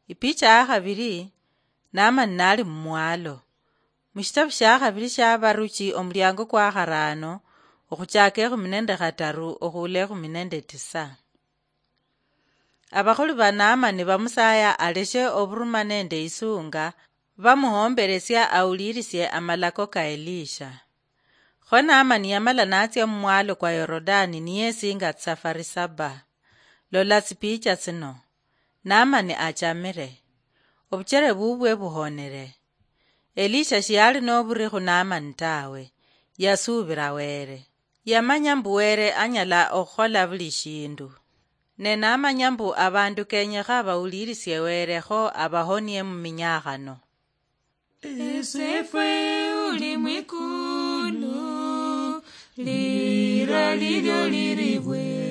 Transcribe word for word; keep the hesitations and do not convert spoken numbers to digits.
Ipicha ya khabili, Naamani naali mumwalo. Mushitabu shia khabili shia Baruchi, omuliango kwa kharaano, okhuchaaka ekhumi nende khataru okhuula ekhumi nende tisa. Abakholi ba Naamani bamusaaya aleshe oburuma nende isuunga, bamuhombelesia awulilisie amalako ka Elisha. Kho Naamani yamala natsia mumwalo kwa Yorodani niyesinga tsisafari saba. Lola tsipicha tsino. Naamani achamire. Obuchere bubwe buhonere. Elisha shiyali noburi khu Naamani tawe. Yasuubira Were. Yamanya mbu Were anyala okhukhola buli shindu. Ne namanya mbu abandu kenyekha bawulirisie Were kho abahonie muminyakhano. Esefwe uli mwikulu, lira lilyo liribwe.